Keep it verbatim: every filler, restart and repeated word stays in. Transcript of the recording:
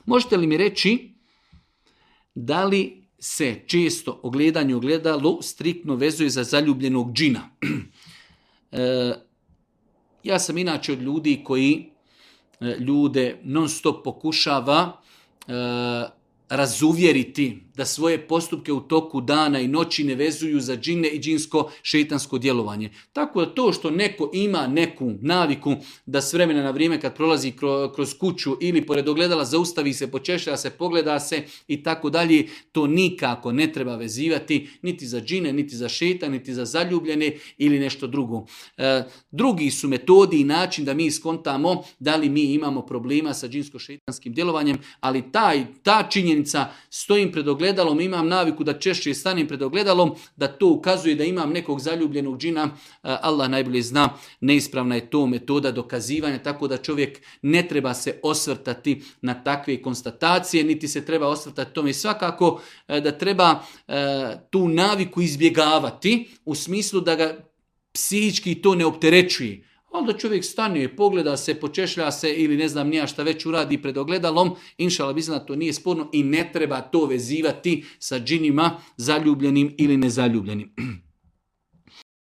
Možete li mi reći da li se često ogledanje u ogledalu striktno vezuje za zaljubljenog džina? e, ja sam inače od ljudi koji e, ljude non stop pokušava e, razuvjeriti da svoje postupke u toku dana i noći ne vezuju za džine i džinsko šeitansko djelovanje. Tako da to što neko ima neku naviku da s vremena na vrijeme kad prolazi kroz kuću ili pored ogledala zaustavi se, počešlja se, pogleda se i tako dalje, to nikako ne treba vezivati niti za džine, niti za šeitan, niti za zaljubljene ili nešto drugo. E, drugi su metodi i način da mi iskontamo da li mi imamo problema sa džinsko-šeitanskim djelovanjem, ali taj, ta činjenica stojim pred ogledalom, imam naviku da češće stanem pred ogledalom, da to ukazuje da imam nekog zaljubljenog džina, Allah najbolje zna, neispravna je to metoda dokazivanja, tako da čovjek ne treba se osvrtati na takve konstatacije, niti se treba osvrtati tome. Svakako da treba tu naviku izbjegavati u smislu da ga psihički to ne opterećuje. Onda čovjek stane, pogleda se, počešlja se ili ne znam nija šta već uradi pred ogledalom, inšala bizna, to nije sporno i ne treba to vezivati sa džinima zaljubljenim ili nezaljubljenim.